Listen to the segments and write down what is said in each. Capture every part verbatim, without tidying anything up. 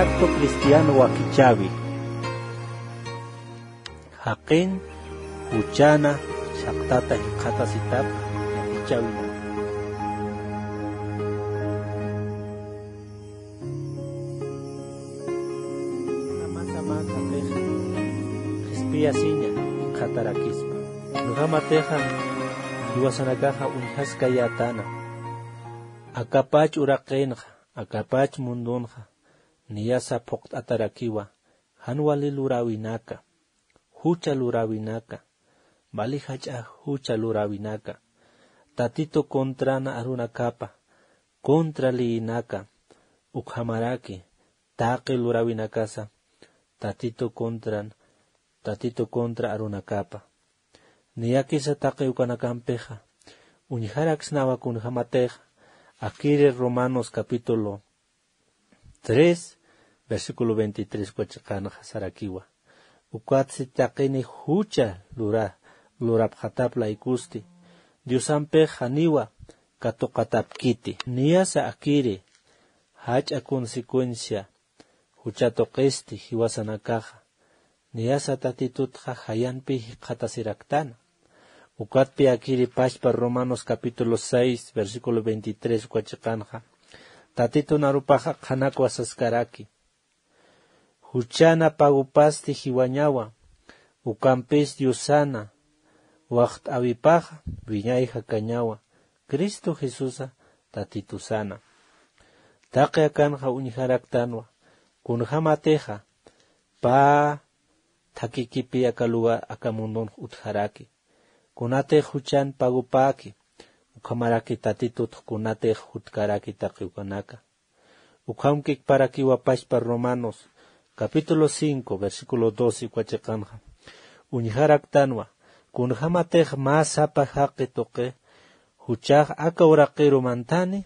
Acto cristiano wakichäwi. Jaqin juchana chhaqtata jikxatasitap wakichäwinaka. Jamasaman jaqixa qhispiyasiña jikxatarakispa. Kunjamatixa jiwasanakaxa uñjaskayätana. Akapach uraqinxa, akapach mundunxa, niyasa phuqt'atarakiwa, jan wali luräwinaka, jucha luräwinaka, wali jach'a jucha luräwinaka, Tatitu contran arunakapa, contra leyinaka, ukhamaraki, taqi luräwinakasa, Tatitu contran, Tatitu contra arunakapa. Niyakisa taqi ukanakampixa, uñjaraksnawa kunjamatixa, akiri Romanos capítulo tres, versículo veintitrés uka chiqanxa sarakiwa. Ukatsti taqini jucha lura, lurapxatap laykusti, Diosampix janiwa katuqatapkiti. Niyasa akiri, jach'a consecuencia, jucha tuqisti jiwasanakaxa, niyasa Tatitutxa jayanpi jikxatasiraktana. Ukatpi akiri pachpa Romanos capítulo seis, versículo veintitrés uka chiqanxa, Tatitun arupaxa qhanakwa saskaraki. Juchana pagupasti jiwañawa, ukampis Diosana, waxt'äwipaxa wiñay jakañawa, Cristo Jesusa Tatitusana. Taqi akanxa uñjaraktanwa, kunjamatixa, pä thakhikipi aka lugar, aka mundunx utjaraki. Kunatix juchan pagupäki, ukhamaraki Tatitutx kunatix jutkaraki taqi ukanaka. Ukham kikparakiwa pachpa Romanos, capítulo cinco, versículo doce uka chiqanxa. Uñjaraktanwa, kunjamatix mä sapa jaqi tuqi, juchax aka uraqiru mantani,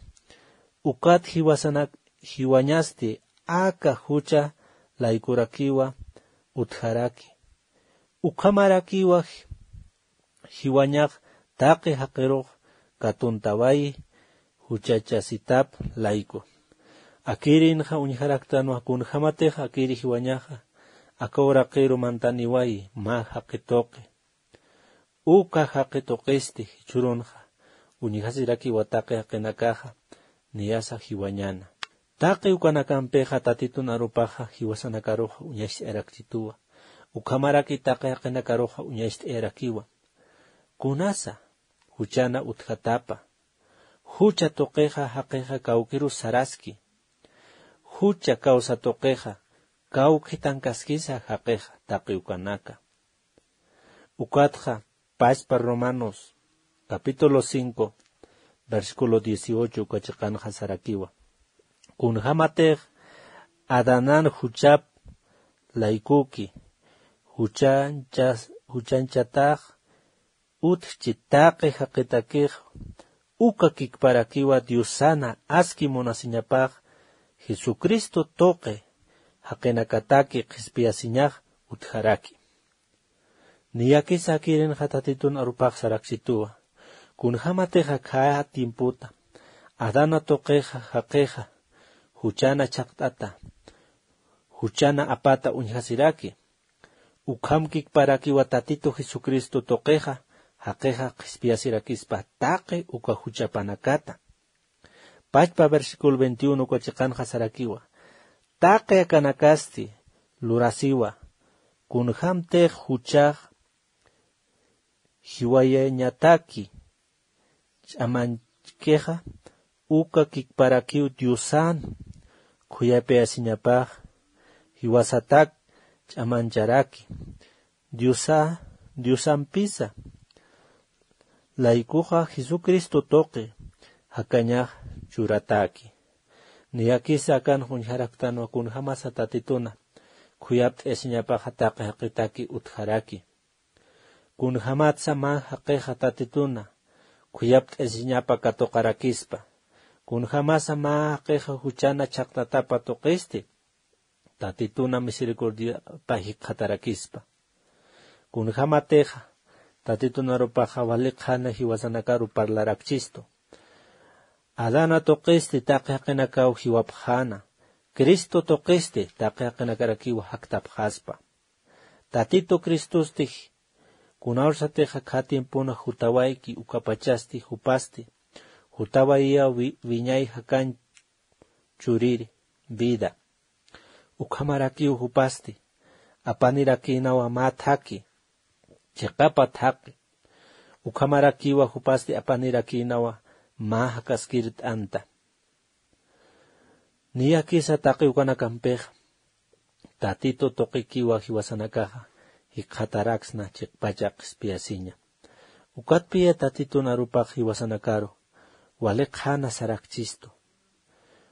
ukat jiwasanak jiwañasti aka jucha laykurakiwa utjaraki. Ukhamarakiwa jiwañax taqi jaqirux katuntawayi juchachasitap layku. Akirinxa uñjaraktanwa kunjamatix akiri jiwañaxa aka uraqiru mantaniwayi mä jaqi tuqi. Uka jaqi tuqisti jichhürunxa uñjasirakiwa taqi jaqinakaxa niyasa jiwañäna. Taqi ukanakampixa Tatitun arupaxa jiwasanakaruxa uñacht'ayarakchituwa. Ukhamaraki taqi jaqinakaruxa uñacht'ayarakiwa. Kunasa juchana utjatapa. Jucha tuqixa jaqixa kawkirus saraski. Jucha kawsa tuqixa kawkhitankaskisa jaqixa taqi ukanaka. Ukatxa pachpa Romanos, capítulo cinco, versículo dieciocho uka chiqanxa sarakiwa. Kunjamatix Adanan juchap laykuki, juchanchas-, juchanchatax utjchi taqi jaqitakix, uka kikparakiwa Diosana aski munasiñapax Jesucristo tuqi jaqinakataki qhispiyasiñax utjaraki. Niyakisa akirinxa Tatitun arupax saraksituwa. Kunjamatix akhaya tiempota Adana tuqixa jaqixa juchana chhaqt'ata, juchana apata uñjasiraki. Ukham kikparakiwa Tatitu Jesucristo tuqixa jaqixa qhispiyasirakispa taqi uka juchapanakata. Pachpa versículo veintiuno uka chiqanxa sarakiwa. Taqi akanakasti lurasiwa. Kunjamtix juchax jiwayañataki ch'amanchkixa, uka kikparakiw Diosan khuyapayasiñapax jiwasatak ch'amancharaki. Diosa, Diosampisa laykuxa Jesucristo tuqi jakañax churataki. Niyakisa akan uñjaraktanwa kunjamasa Tatituna khuyapt'ayasiñapaxa taqi jaqitaki utjaraki. Kunjamatsa mä jaqixa Tatituna khuyapt'ayasiñapa katuqarakispa. Kunjamasa mä jaqixa juchana chhaqtatapa tuqisti Tatituna misericordiapa jikxatarakispa. Kunjamatixa Tatitun arupaxa wali qhana jiwasanakaru parlarakchistu. Adana tuqisti taqi jaqinakaw jiwapxäna, Cristo tuqisti taqi jaqinakarakiwa jaktapxaspa. Tatitu Cristostix kunawsatixa khä tiempona jutawayki ukapachasti jupasti jutawayiwa wi- wiñay jakañ churiri vida. Ukhamarakiw jupasti apanirakïnawa mä thaki chiqapa thaqi. Ukhamarakiwa jupasti apanirakïnawa mä jakaskir t'anta. Niyakisa taqi ukanakampix tatitu tuqikiwa jiwasanakaxa jikxataraksna chiqpacha qhispiyasiña. Ukatpiya tatitun arupax jiwasanakaru wali qhana sarakchistu.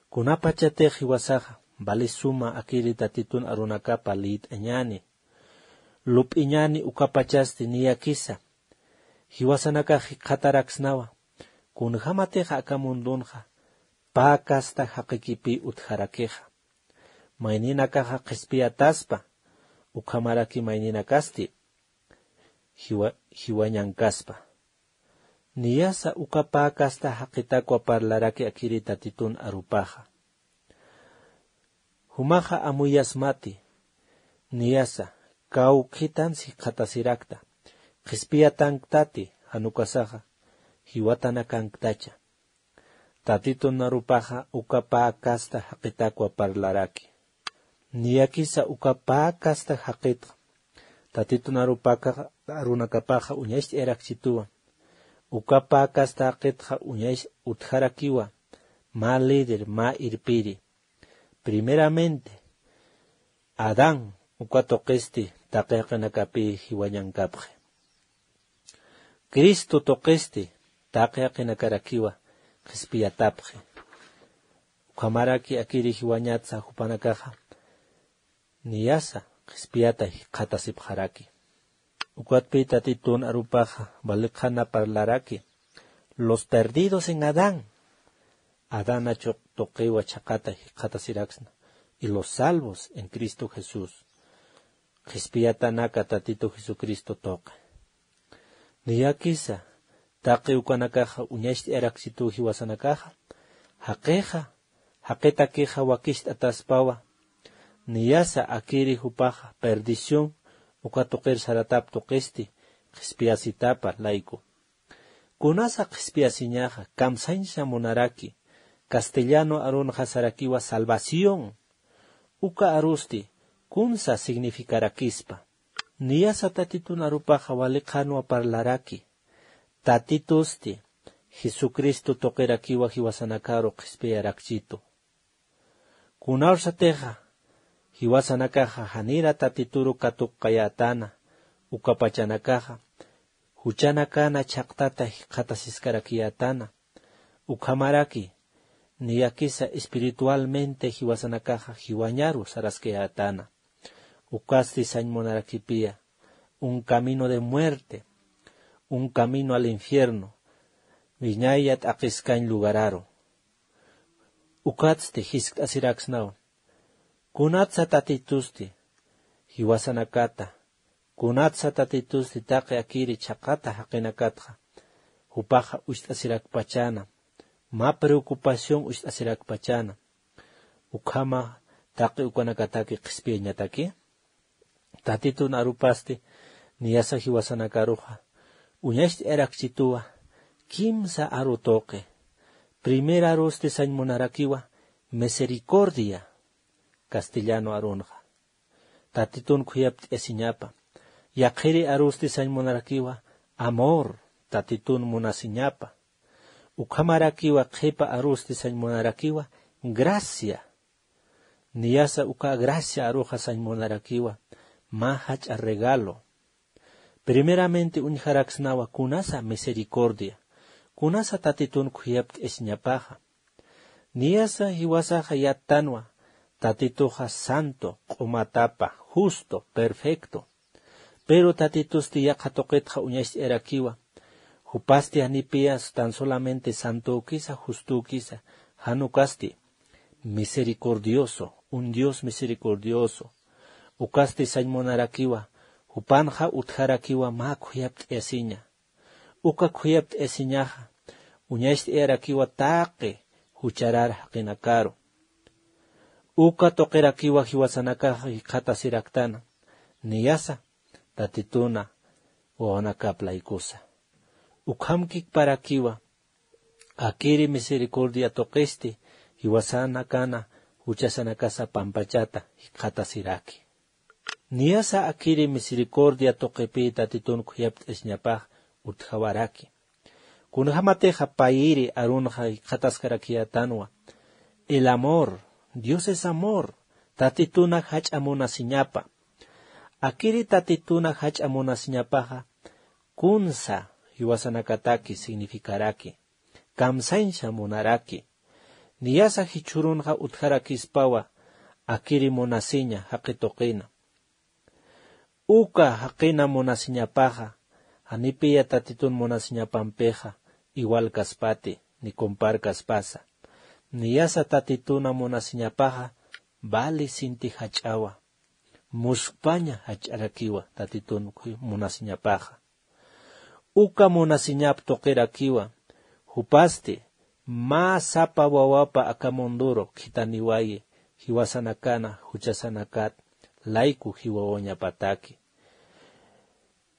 Kunapachatix jiwasaxa vali suma akiri tatitun arunakapa lït'añani lup'iñani ukapachasti niyakisa jiwasanakax jikxataraksnawa kunjämatixa aka mundunxa pä casta jaqikipï utjarakixa. Mayninakaxa qhispiyataspa ukhamaraki mayninakasti jiwa- jiwañankaspa. Niyasa uka pä casta jaqitakwa parlaraki akiri tatitun arupaxa. Jumaxa amuyasmati niyasa kawkhitans jikxatasirakta qhispiyatanktati jan ukasaxa jiwatanakanktacha. Tatitun arupaxa uka pä casta jaqitakwa parlaraki. Niyakisa uka pä casta jaqitxa tatitun arupakaxa arunakapaxa uñacht'ayarakchituwa. Uka pä casta jaqitxa uñacht'ayarakchituwa. Mä líder mä irpiri primeramente adán uka tuqisti taqi jaqinakapï jiwañankapxi. Cristo tuqisti taqi jaqinakarakiwa qhispiyatapxi. Ukhamaraki akiri jiwañatsa jupanakaxa niyasa qhispiyata jikxatasipxaraki. Ukatpï tatitun arupaxa vali qhana parlaraki los perdidos en adán. Adán achuq tuqiwa chhaqata jikxatasiraksna y los salvos en Cristo Jesús. Qhispiyatanaka tatitu Jesucristo tuqi. Niyakisa taqi ukanakaxa uñacht'ayarakchituw jiwasanakaxa jaqixa jaqitakixa wakicht'ataspawa. Niyasa akiri jupaxa perdición uka tuqir saratap tuqisti qhispiyasitapa layku. Kunasa qhispiyasiñaxa kamsañsa munaraki castellano arunxa sarakiwa salvación. Uka arusti kunsa significarakispa. Niyasa tatitun arupaxa wali qhanwa parlaraki tatitusti jesucristo tuqirakiwa jiwasanakaru qhispiyarakchitu. Kunawsatixa jiwasanakaxa janira tatituru katuqkayätana ukapachanakaxa juchanakana chhaqtata jikxatasiskarakiyätana. Ukhamaraki niyakisa espiritualmente jiwasanakaxa jiwañaru saraskayätana. Ukasti sañ munarakipiya un camino de muerte, un camino al infierno, wiñaya t'aqiskañ lugararu. Ukatsti jiskt'asiraksnawa kunatsa tatitusti jiwasanakata kunatsa tatitusti taqi akiri chhaqata jaqinakatxa jupaxa ucht'asirakpachäna mä preocupación ucht'asirakpachäna. Ukhama taqi ukanakataki qhispiyañataki tatitun arupasti niyasa jiwasanakaruxa uñacht'ayarakchituwa kimsa aru tuqi. Primer arusti sañ munarakiwa misericordia castellano arunxa tatitun khuyapt'ayasiñapa. Yaqhiri arusti sañ munarakiwa amor tatitun munasiñapa. Ukhamarakiwa qhipa arusti sañ munarakiwa gracia. Niyasa uka gracia aruxa sañ munarakiwa mä jach'a regalo. Primeramente uñjaraksnawa kunasa misericordia kunasa tatitun khuyapt'ayasiñapaxa. Niyasa jiwasaxa yattanwa tatituxa santo q'umatapa justo perfecto. Pero tatitusti yaqha tuqitxa uñacht'ayarakiwa jupasti janipiya tan solamente santokisa justokisa jan ukasti misericordioso un dios misericordioso. Ukasti sañ munarakiwa jupanxa utjarakiwa mä khuyapt'ayasiña. Uka khuyapt'ayasiñaxa uñacht'ayarakiwa taqi jucharar jaqinakaru. Uka tuqirakiwa jiwasanakaxa jikxatasiraktana, niyasa Tatituna wawanakap laykusa. Ukham kikparakiwa akiri misericordia tuqisti jiwasanakana juchasanakasa pampachata jikxatasiraki. Niyasa akiri misericordia tuqipï Tatitun khuyapt'asiñapax utjawaraki. Kunjämatixa payïri arunxa jikxataskarakiyätanwa. El amor, Dios es amor, Tatituna jach'a munasiñapa. Akiri Tatituna jach'a munasiñapaxa kunsa jiwasanakataki significaraki, kamsañsa munaraki. Niyasa jichhürunxa utjarakispawa akiri munasiña jaqi tuqina. Uka jaqina munasiñapaxa, janipiya Tatitun munasiñapampixa igual kaspati, ni compar kaspasa. Niyasa Tatituna munasiñapaxa vali sinti jach'awa, muskpaña jach'arakiwa Tatitun munasiñapaxa. Uka munasiñap tuqirakiwa, jupasti mä sapa wawapa aka munduru khithaniwayi, jiwasanakana juchasanakat layku jiwawañapataki.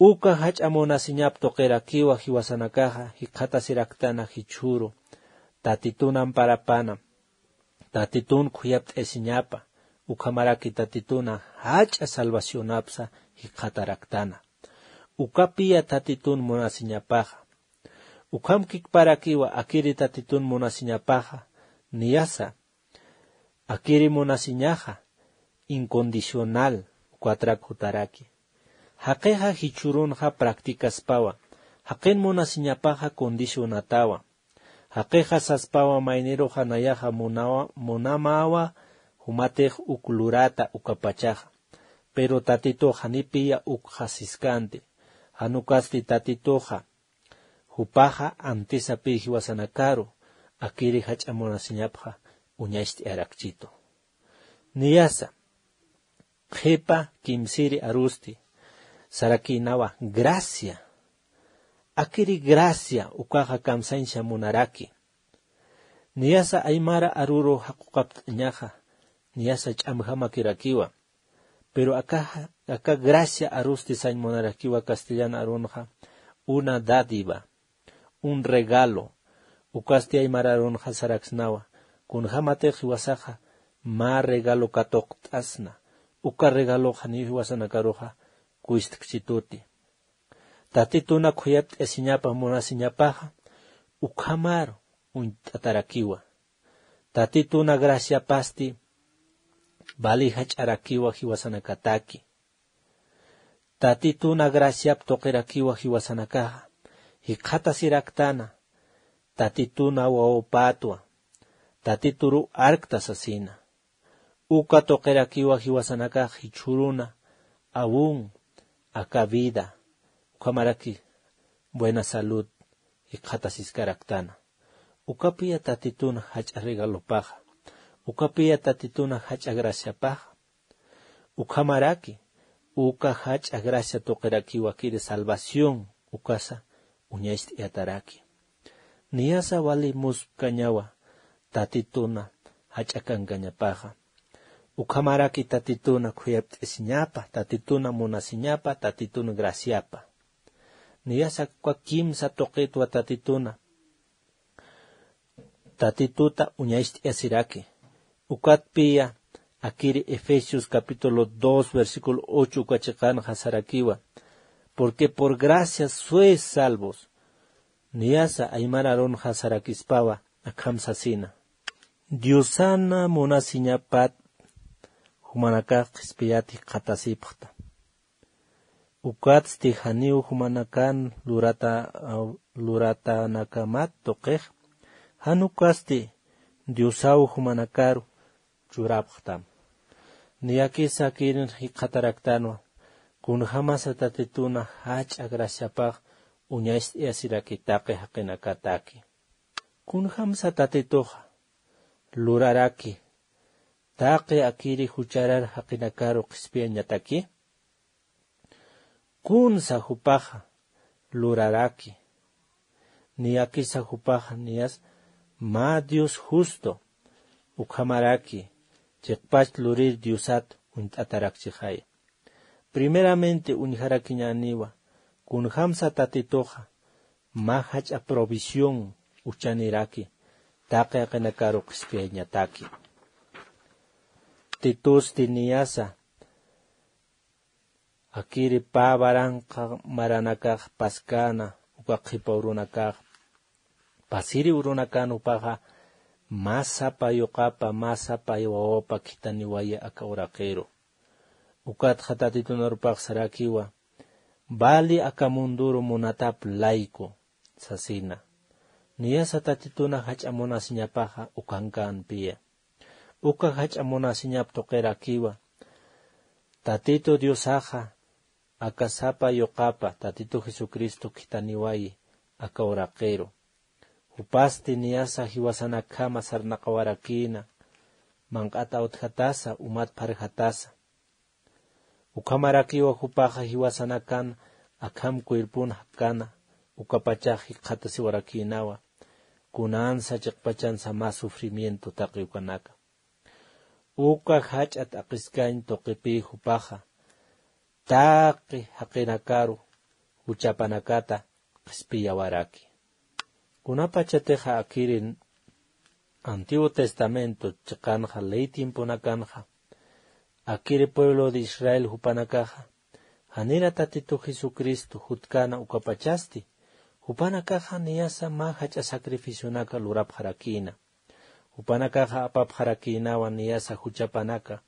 Uka jach'a munasiñap tuqirakiwa jiwasanakaxa jikxatasiraktana jichhüru Tatitun amparapana, Tatitun khuyapt'asiñapa, ukhamaraki Tatituna jach'a salvacionapsa jikxataraktana. Ukapiya Tatitun munasiñapaxa. Ukham kikparakiwa akiri Tatitun munasiñapaxa, niyasa akiri munasiñaxa incondicional, ukatrak jutaraki. Jaqixa jichhürunxa practicaspawa, jaqin munasiñapaxa condicionatawa. Jaqixa saspawa mayniruxa nayaxa munawa, munamäwa jumatix uk lurata ukapachaxa. Pero Tatitux janipiya ukxa siskanti. Jan ukasti Tatituxa, jupaxa antisapï jiwasanakaru, akiri jach'a munasiñapxa uñacht'ayarakchitu. Niyasa, qhipa kimsiri arusti, sarakïnawa gracia. Akiri gracia ukaxa kamsañsa munaraki. Niyasa aymara aruru jaquqapt'añaxa, niyasa ch'amjamakirakiwa. Pero aka, aka gracia arusti sañ munarakiwa castellan arunxa, una dádiva, un regalo, ukasti aymar arunxa saraksnawa, kunjämatix jiwasaxa mä regalo katuqt'asna, uka regalox janiw jiwasanakaruxa kuystkchituti. Tatituna khuyapt'asiñapa munasiñapaxa, ukhamar uñt'atarakiwa. Tatituna graciapasti vali jach'arakiwa jiwasanakataki. Tatituna graciap tuqirakiwa jiwasanakaxa, jikxatasiraktana, Tatituna wawapatwa, Tatituru arkta sasina. Uka tuqirakiwa jiwasanakax jichhüruna, aún aka vida, ukhamaraki buena salud jikxatasiskaraktana. Ukapiya Tatituna jach'a regalopaxa. Ukapiya Tatituna jach'a graciapaxa. Ukhamaraki, uka jach'a gracia tuqirakiwa akiri salvación, ukasa uñacht'ayataraki. Niyasa vali muspkañawa Tatituna jach'a kankañapaxa. Ukhamaraki Tatituna khuyapt'asiñapa, Tatituna munasiñapa, Tatituna graciapa. Niyasa uka kimsa tuqitwa Tatituna, Tatituta uñacht'asiraki. Ukatpiya akiri Efesios capítulo dos, versículo ocho uka chiqanxa sarakiwa: "Porque por gracia sois salvos". Niyasa aymar arunxa sarakispawa akham sasina: Diosana munasiñapat jumanakax qhispiyat jikxatasipxta. Ukatsti janiw jumanakan lurata-, luratanakamat tuqix, jan ukasti Diosaw jumanakaru churapxtam. Niyakisa akirin jikxataraktanwa, kunjämasa Tatituna jach'a graciapax uñacht'ayasiraki taqi jaqinakataki. Kunjämsa Tatituxa luraraki taqi akiri jucharar jaqinakaru qhispiyañataki? Kunsa jupaxa luraraki. Niyakisa jupaxa niyas mä Dios justo, ukhamaraki chiqpach lurir Diosat uñt'atarakchixaya. Primeramente uñjarakiñäniwa, kunjamsa Tatituxa mä jach'a provisión uchaniraki taqi jaqinakaru qhispiyañataki. Titusti niyasa akiri pä waranqa maranakax paskäna, uka qhipa urunakax pasiri urunakan jupaxa mä sapa yuqapa, mä sapa wawapa khithaniwayi aka uraqiru. Ukatxa Tatitun arupax sarakiwa, vali aka munduru munatap layku sasina. Niyasa Tatituna jach'a munasiñapaxa ukankänpiya. Uka jach'a munasiñap tuqirakiwa, Tatitu Diosaxa aka sapa yuqapa Tatitu Jesucristo khithaniwayi aka uraqiru. Jupasti niyasa jiwasanakjama sarnaqawarakïna, manq'at awtjatasa, umat pharjatasa. Ukhamarakiwa jupaxa jiwasanakan akham cuerpon jakkana, ukapachax jikxatasiwarakïnawa, kunansa chiqpachansa mä sufrimiento taqi ukanaka. Uka jach'a t'aqiskañ tuqipï jupaxa taqi jaqinakaru juchapanakata qhispiyawaraki. Kunapachatixa akiri Antiguo Testamento chiqanxa ley tiemponakanxa, akiri pueblo de Israel jupanakaxa janira Tatitu Jesucristo jutkäna ukapachasti, jupanakaxa niyasa mä jach'a sacrificionaka lurapxarakïna. Jupanakaxa apapxarakïnawa niyasa juchapanaka,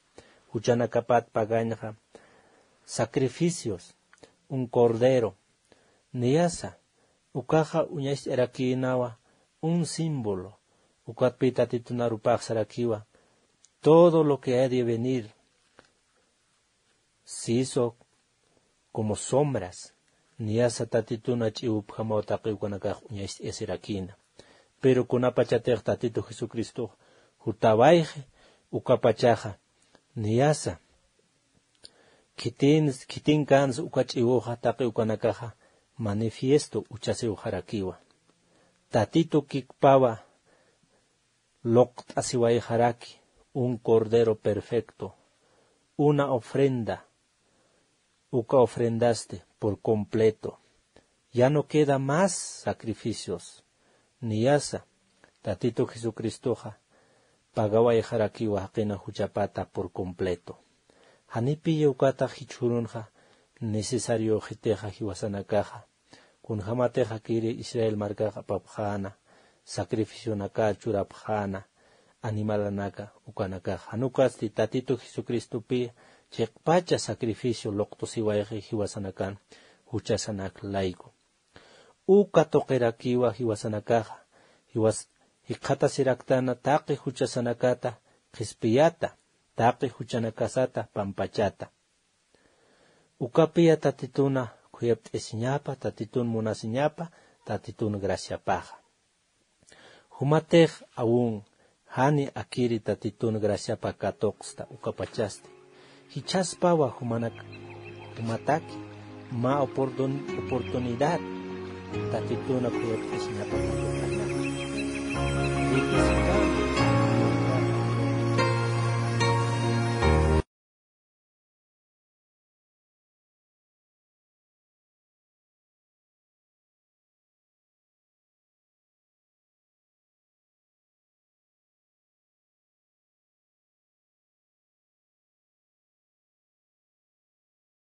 juchanakapat pagañxa sacrificios, un cordero, niyasa, ukaxa uñacht'arakïnawa un símbolo, ukatpï Tatitun arupax sarakiwa, todo lo que ha de venir, siso como sombras, niyasa Tatituna ch'iwupjamaw taqi ukanakax uñacht'asirakïna. Pero kunapachatix Tatitu Jesucristox jutawayxi, ukapachaxa niyasa khitin, khitinkansa uka ch'iwuxa taqi ukanakaxa manifiesto uchasiwxarakiwa. Tatitu kikpawa luqt'asiwayxaraki un cordero perfecto, una ofrenda, uka ofrendasti por completo. Ya no queda más sacrificios. Niyasa, Tatitu Jesucristoxa pagawayxarakiwa jaqina juchapata por completo. Janipiya ukata jichhürunxa necesariöxitixa jiwasanakaxa. Kunjämatix akiri Israel markax apapxäna, sacrificionaka churapxäna, animalanaka, ukanakax. Jan ukasti Tatitu Jesucristopï chiqpacha sacrificio luqtusiwayxi jiwasanakan, juchasanak layku. Uka tuqirakiwa jiwasanakaxa, jiwas-, jikxatasiraktana taqi juchasanakata qhispiyata, taqi juchanakasata pampachata. Ukapiya Tatituna khuyapt'isiñapa, Tatitun munasiñapa, Tatitun graciapaxa. Jumatix aún jani akiri Tatitun graciapa katuqsta ukapachasti. Jichhaspawa jumanak, jumataki mä oportun-, oportunidad Tatituna khuyapt'isiñapa katuqanaka.